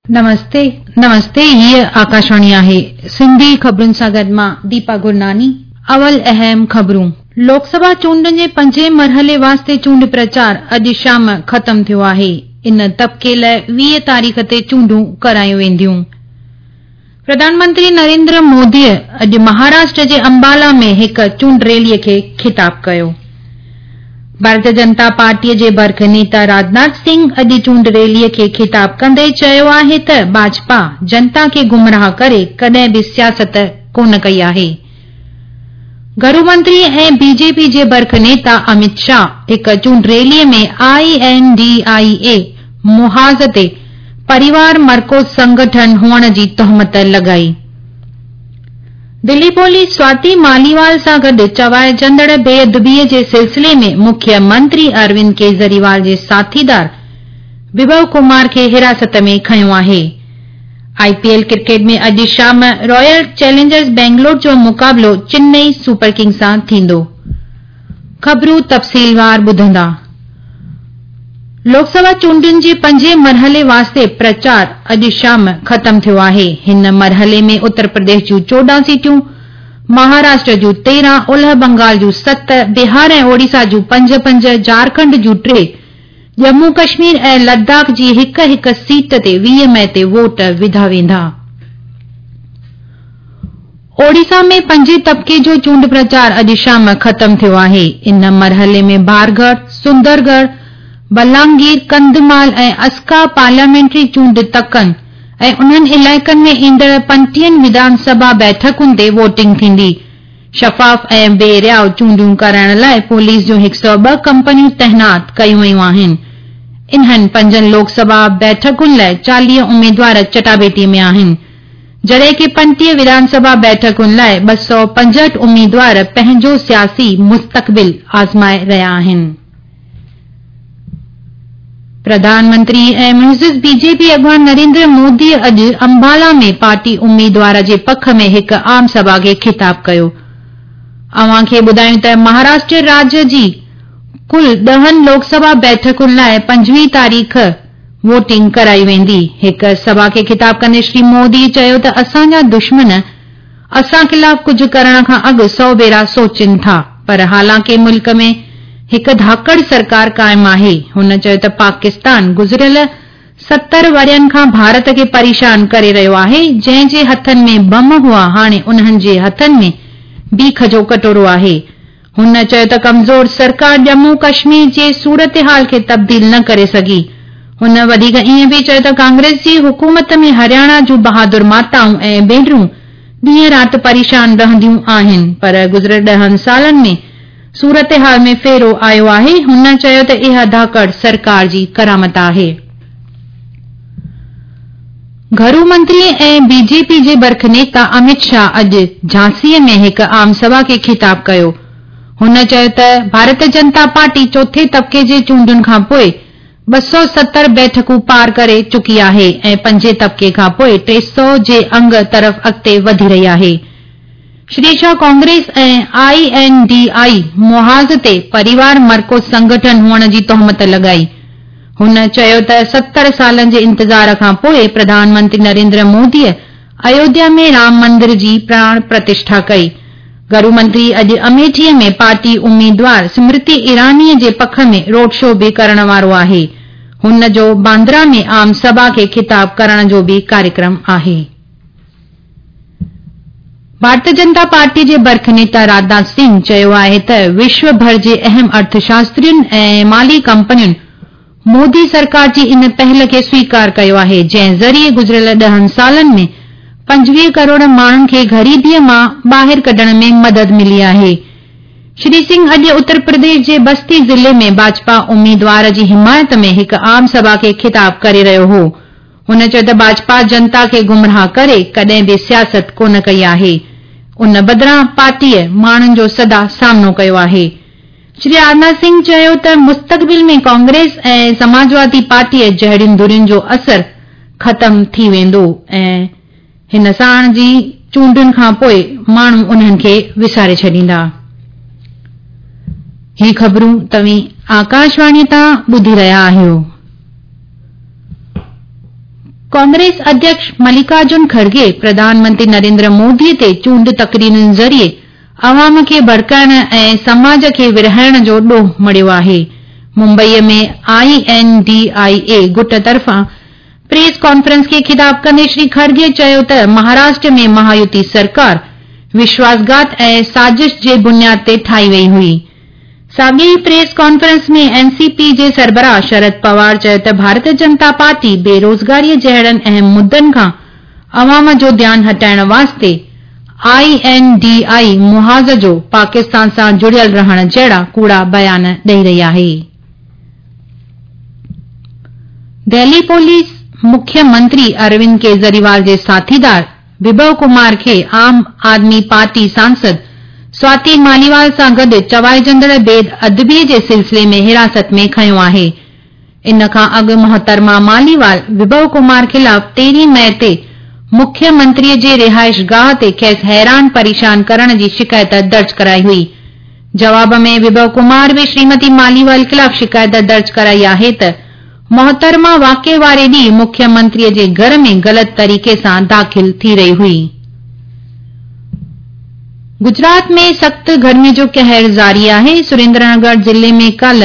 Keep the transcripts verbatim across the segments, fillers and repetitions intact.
नमस्ते नमस्ते, हीअ आकाशवाणी आहे। सिंधी ख़बरुनि सां गॾु मां दीपा गुरनानी। अवल अहम ख़बरूं। लोकसभा चूंडनि जे पंजे मरहले वास्ते चूंड प्रचार अॼु शाम ख़तम थियो आहे। इन तबके लाइ वीह तारीख़ ते चूंडूं करायूं वेंदियूं। प्रधानमंत्री नरेंद्र मोदीअ अॼु महाराष्ट्र जे अंबाला में हिकु चूंड रैलीअ खे ख़िताब कयो। भारतीय जनता पार्टीअ जे बर्ख नेता राजनाथ सिंह अॼु चूंड रैलीअ खे ख़िताब कंदे चयो आहे त भाजपा जनता खे गुमराह करे कॾहिं बि सियासत कोन कई आहे। घरू मंत्री ऐं बीजेपी जे बर्ख नेता अमित शाह हिकु चूंड रैलीअ में I N D I ए मुहाज़ ते परिवार मरकूज़ संगठन हुअण जी तोहमत लॻाई। दिल्ली पुलिस स्वाति मालीवाल सां गॾु चवाइजंदड़ बेअदबीअ जे सिलसिले में मुख्य मंत्री अरविंद केजरीवाल जे साथीदार विभव कुमार खे हिरासत में खयो आहे। आईपीएल क्रिकेट में अॼु शाम रॉयल चैलेंजर्स बेंगलोर जो मुक़ाबिलो चेन्नई सुपर किंग्स सां थींदो। ख़बरूं तफ़सीलवार ॿुधंदा। लोकसभा चूंडुनि जे पंजे मरहले वास्ते प्रचार अॼु शाम ख़तम थियो आहे। हिन मरहले में उत्तर प्रदेश जूं चोॾहं सीटियूं, महाराष्ट्र जूं तेरहं, उलह बंगाल जूं सत, बिहार ऐं ओडिशा जूं पंज पंज, झारखंड जूं टे, जम्मू कश्मीर ऐं लद्दाख जी हिकु हिकु सीट ते वीह मई ते वोट विधा वेंदा। ओडिशा में पंजे तबके जो चूंड प्रचार अॼु शाम ख़तम थियो आहे। इन मरहले में बारगढ़, सुंदरगढ़, बलांगीर, कंधमाल ऐं अस्का पार्लियामेंट्री चूंड तकनि ऐं उन्हनि इलाइक़नि में ईंदड़ पंटीहनि विधानसभा बैठकुनि ते वोटिंग थींदी। शफ़ाफ़ ऐं बेरियाव चूंडूं कराइण लाइ पुलिस जूं हिकु सौ ॿ कंपनियूं तैनात कयूं वयूं आहिनि। इन्हनि पंजनि लोकसभा बैठकुनि लाइ चालीह उमेदवार चटाबेटी में आहिनि, जॾहिं की पंटीह विधानसभा बैठकुनि लाइ ॿ सौ पंजहठि उमेदवार पंहिंजो सियासी मुस्तक़बिल आज़माए रहिया आहिनि। प्रधानमंत्री ऐं मुइज़िज़ बीजेपी अॻवान नरेंद्र मोदी अॼु अंबाला में पार्टी उम्मीदवार जे पख में हिकु आम सभा खे ख़िताब कयो। अव्हां खे ॿुधायूं त महाराष्ट्र राज्य जी कुल ॾहनि लोकसभा बैठकुनि लाइ पंजवीह तारीख़ वोटिंग कराई वेंदी। हिकु सभा खे ख़िताब कंदे श्री मोदी चयो त असांजा दुश्मन असां ख़िलाफ़ कुझु करण खां अॻु सौ भेरा सोचनि था, पर हालांकि मुल्क में हिकु धाकड़ सरकार क़ाइम आहे। हुन चयो त पाकिस्तान गुज़िरियल सतरि वरियनि खां भारत खे परेशान करे रहियो आहे। जंहिं जे हथनि में बम हुआ, हाणे उन्हनि जे हथनि में बीख जो कटोरो आहे। हुन चयो त कमज़ोर सरकार जम्मू कश्मीर जे सूरत हाल खे तब्दील न करे सघी। हुन वधीक ईअं बि चयो त कांग्रेस जी हुकूमत में हरियाणा जूं बहादुर माताऊं ऐं भेनरूं ॾींहुं राति परेशान रहंदियूं आहिनि, पर गुज़िरियल ॾहनि सालनि में सूरत हाल में फेरो आयो आहे। हुन चयो त इहा धाकड़ सरकार जी करामत आहे। घरू मंत्री ऐं बीजेपी जे बर्ख नेता अमित शाह अॼु झांसीअ में हिकु आम सभा खे ख़िताब कयो। हुन चयो त भारतीय जनता पार्टी चोथे तबके जे चूंडुनि खां पोइ ॿ सौ सतरि बैठकूं पार करे चुकी आहे ऐं पंजे तबके खां पोइ टे सौ जे अंग तरफ़ अॻिते वधी रही आहे। श्री शाह कांग्रेस ऐं I N D I मुहाज़ ते परिवार मरकूज़ संगठन हुअण जी तोहमत लॻाई। हुन चयो त सतरि सालनि जे इंतज़ार खां पोइ प्रधानमंत्री नरेंद्र मोदीअ अयोध्या में राम मंदिर जी प्राण प्रतिष्ठा कई। घरू मंत्री अॼु अमेठीअ में पार्टी उम्मीदवार स्मृति ईरानीअ जे पख में रोड शो बि करण वारो आहे। हुन जो बांद्रा में आम सभा खे ख़िताब करण जो बि कार्यक्रम आहे। भारतीय जनता पार्टी जे बर्ख नेता राजनाथ सिंह चयो आहे त विश्व भर जे अहम अर्थशास्त्रियुनि ऐं माली कंपनियुनि मोदी सरकार जी इन पहल खे स्वीकार कयो आहे, जंहिं ज़रिए गुज़िरियल ॾहनि सालनि में पंजवीह करोड़ माण्हुनि खे ग़रीबीअ मां ॿाहिरि कढण में मदद मिली आहे। श्री सिंह अॼु उत्तर प्रदेश जे बस्ती ज़िले में भाजपा उम्मीदवार जी हिमायत में हिकु आम सभा खे ख़िताब करे रहियो हो। हुन चयो त भाजपा जनता खे गुमराह करे कॾहिं बि सियासत कोन कई आहे, उन बदिरां पार्टीअ माण्हुनि जो सदा सामनो कयो आहे। श्री राजनाथ सिंह चयो त मुस्तक़बिल में कांग्रेस ऐं समाजवादी पार्टीअ जहिड़ियुनि धुरियुनि जो असर ख़तम थी वेंदो ऐं हिन साण जी चूंडुनि खां पोइ माण्हू उन्हनि खे विसारे छॾींदा। ही ख़बरूं तव्हीं आकाशवाणी तां ॿुधी रहिया आहियो। कांग्रेस अध्यक्ष मल्लिकार्जुन खड़गे प्रधानमंत्री नरेंद्र मोदी ते चूंड तकरीरनि ज़रिए अवाम खे भड़काइण ऐं समाज खे विरहाइण जो ॾोह मढ़ियो आहे। मुंबईअ में I N D I ए गुट तरफ़ां प्रेस कॉन्फ्रेंस खे ख़िताब कंदे श्री खड़गे चयो त महाराष्ट्र में महायुति सरकार विश्वासघात ऐं साज़िश जे बुनियाद ते ठाही वई हुई। साॻी ई प्रेस कॉन्फ्रेंस में एन सी पी जे सरबराह शरद पवार चयो त भारतीय जनता पार्टी बेरोज़गारीअ जहिड़नि अहम मुद्दनि खां अवाम जो ध्यानु हटाइण वास्ते I N D I मुहाज़ जो पाकिस्तान सां जुड़ियल रहण जहिड़ा कूड़ा बयान ॾेई रही आहे। दिल्ली पुलिस मुख्यमंत्री अरविंद केजरीवाल जे साथीदार विभव कुमार खे आम आदमी पार्टी सांसद स्वाति मालीवाल सां गॾु चवाइजंदड़ बेद अदबीअ जे सिलसिले में हिरासत में खयो आहे। इन खां अॻु मोहतरमा मालीवाल विभव कुमार ख़िलाफ़ तेरहीं मई ते मुख्यमंत्रीअ जे रिहाइश गाह ते खेसि हैरान परेशान करण जी शिकायत दर्ज कराई हुई। जवाब में विभव कुमार बि श्रीमती मालीवाल ख़िलाफ़ शिकायत दर्ज कराई आहे त मोहतरमा वाक़िए वारे ॾींहुं मुख्यमंत्रीअ जे घर में ग़लति तरीक़े सां दाख़िल थी रही हुई। गुजरात में सख़्त गर्मी जो कहर जारी आहे। सुरेंद्रनगर ज़िले में कल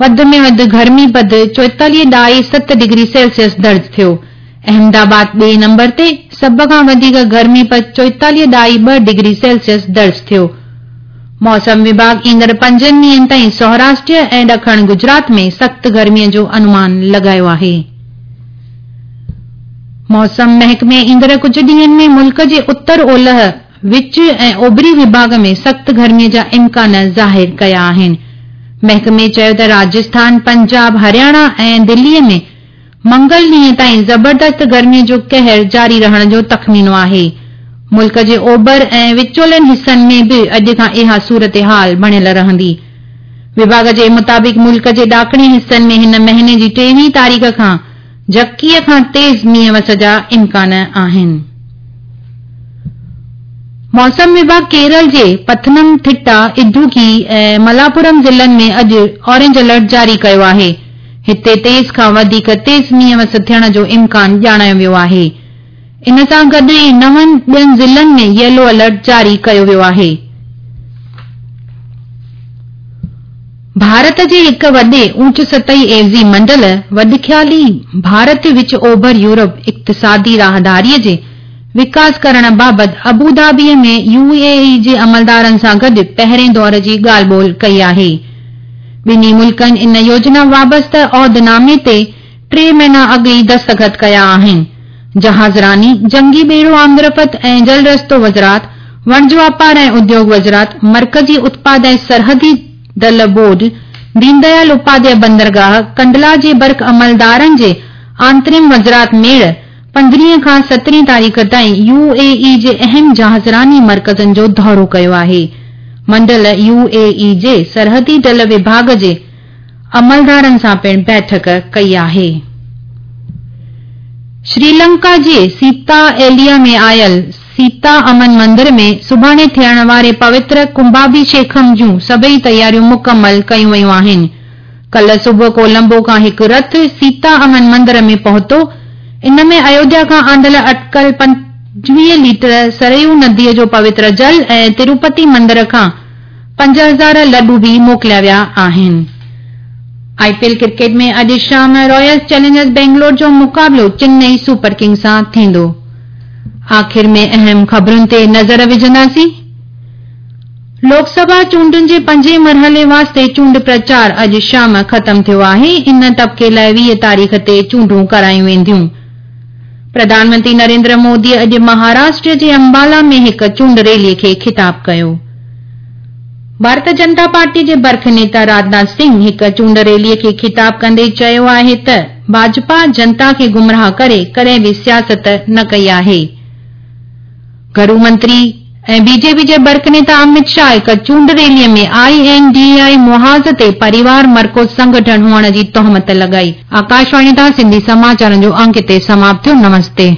वधि में वधि गर्मी पद चोएतालीह ॾाई सत डिग्री सेल्सियस दर्ज थियो। अहमदाबाद ॿिए नंबर ते सभ खां वधीक गर्मी पद चोएतालीह ॾाई ॿ डिग्री सेल्सियस दर्ज थियो। मौसम विभाग ईंदड़ पंजनि ॾींहनि ताईं सौराष्ट्र ऐं ॾखण गुजरात में सख़्त गर्मीअ जो अनुमान लॻायो आहे। मौसम महकमे ईंदड़ कुझु ॾींहनि में मुल्क जे उत्तर ओलह, विच ऐं ओभरी विभाग में सख़्त गर्मीअ जा इम्कान ज़ाहिर कया आहिनि। महकमे चयो त राजस्थान, पंजाब, हरियाणा ऐं दिल्लीअ में मंगल ॾींहं ताईं ज़बरदस्त गर्मीअ जो कहर जारी रहण जो तख़मीनो आहे। मुल्क जे ओभर ऐं विचोलनि हिसनि में बि अॼु खां इहा सूरत हाल बणियल रहंदी। विभाग जे मुताबिक़ मुल्क जे ॾाखणी हिसनि में हिन महीने जी टेवीह तारीख़ खां झकीअ खां तेज़ मींहुं वस जा इम्कान आहिनि। मौसम विभाग केरल जे पथनमथिट्टा, इडुकी ऐं मलापुरम ज़िलनि में अॼु ऑरेंज अलर्ट जारी कयो आहे। हिते तेज़ खां वधीक तेज़ मींहुं वस थियण जो इम्कान ॼाणायो वियो आहे। इन सां गॾु ई नवनि ॿियनि ज़िलनि में येलो अलर्ट जारी कयो वियो आहे। भारत जे हिकु वॾे ऊंच सतही एवज़ी मंडल वॾिख्याली भारत विच ओभर यूरोप इक़्तिसादी राहदारीअ जे विकास करण बाबति अबूधाबीअ में यू ए ई जे अमलदारनि सां गॾु पहिरें दौर जी ॻाल्हि ॿोल कई आहे। ॿिन्ही मुल्कनि इन योजना वाबस्ता औहदनामे ते टे महीना अॻु ई दस्तख़त कया आहिनि। जहाज़रानी, जंगी ॿेड़ो आमदरफ़्त ऐं जल रस्तो वज़रात, वणज वापार ऐं उद्योग वज़रात, मर्कज़ी उत्पाद ऐं सरहदी दल बोर्ड, दीनदयाल उपाध्याय बंदरगाह, कंडला जे बर्क़ अमलदारनि जे आंतरिम वज़रात मेड़ पंद्रहीं खां सतरहीं तारीख़ ताईं यू ए ई जे अहम जहाज़रानी मर्कज़नि जो दौरो कयो आहे। मंडल यू ए ई जे सरहदी दल विभाग जे अमलदारनि सां पिणु बैठक कई आहे। श्रीलंका जे सीता एलिया में आयल सीता अमन मंदिर में सुभाणे थियण वारे पवित्र कुंभाभिषेकम जूं सभई तयारियूं मुकमल कयूं वयूं आहिनि। कल सुबुह कोलंबो खां हिकु रथ सीता अमन मंदिर में पहुतो। इन में अयोध्या खां आंदल अटकल पंजवीह लीटर सरयू नदीअ जो पवित्र जल ऐं तिरुपति मंदिर खां पंज हज़ार लॾू बि मोकिलिया विया आहिनि। I P L cricket में अॼु शाम रॉयल चैलेंजर्स बेंगलोर जो मुक़ाबिलो चेन्नई सुपर किंग्स सां थींदो। आख़िर में अहम ख़बरुनि ते नज़र विझंदासीं। लोकसभा चूंडुनि जे पंजे मरहले वास्ते चूंड प्रचार अॼु शाम ख़तम थियो आहे। इन तबके लाइ वीह तारीख़ ते चूंडूं करायूं वेंदियूं। प्रधानमंत्री नरेंद्र मोदी अॼु महाराष्ट्र जे अंबाला में हिकु चूंड रैली खे ख़िताब कयो। भारतीय जनता पार्टी जे बर्ख नेता राजनाथ सिंह हिकु चूंड रैली खे ख़िताब कंदे चयो आहे त भाजपा जनता खे गुमराह करे कॾहिं बि सियासत न कई आहे। घरू मंत्री ऐं बीजेपी जे बर्ख नेता अमित शाह हिकु चूंड रैली में I N D I मुहाज़ ते परिवार मर्कोज़ संगठन हुअण जी तोहमत लॻाई। आकाशवाणी तां सिंधी समाचारनि जो अंक हिते समाप्त थियो। नमस्ते।